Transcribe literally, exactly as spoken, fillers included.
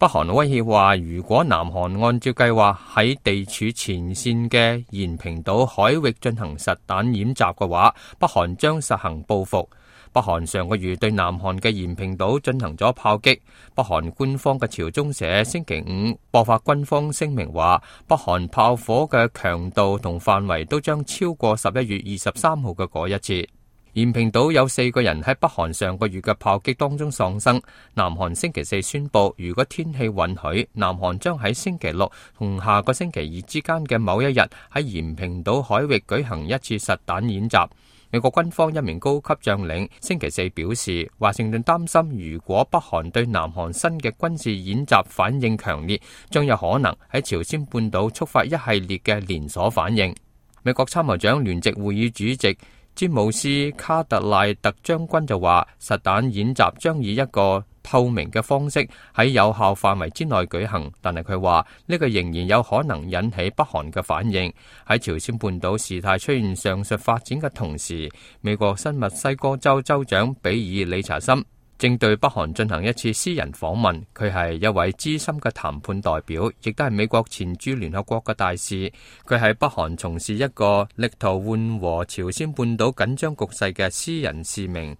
北韓威脅話，如果南韓按照計劃喺地處前線嘅延坪島海域進行實彈演習嘅話，北韓將實行報復。北韓上個月對南韓嘅延坪島進行咗炮擊。北韓官方嘅朝中社星期五播發軍方聲明話，北韓炮火嘅強度同範圍都將超過十一月二十三號嘅嗰一次。延坪島有四個人喺北韓上個月嘅炮擊當中喪生。南韓星期四宣布，如果天氣允許，南韓將喺星期六同下個星期二之間嘅某一日喺延坪島海域舉行一次實彈演習。美國軍方一名高級將領星期四表示，華盛頓擔心如果北韓對南韓新嘅軍事演習反應強烈，將有可能喺朝鮮半島觸發一系列嘅連鎖反應。美國參謀長聯席會議主席詹姆斯卡特賴特將軍就話，實彈演習將以一個透明嘅方式喺有效範圍之內舉行，但係佢話呢個仍然有可能引起北韓嘅反應。喺朝鮮半島事態出現上述發展嘅同時，美國新墨西哥州州長比爾理查森正對北韓進行一次私人訪問。佢係一位資深嘅談判代表，亦都係美國前駐聯合國嘅大使。佢喺北韓從事一個力圖緩和朝鮮半島緊張局勢嘅私人使命。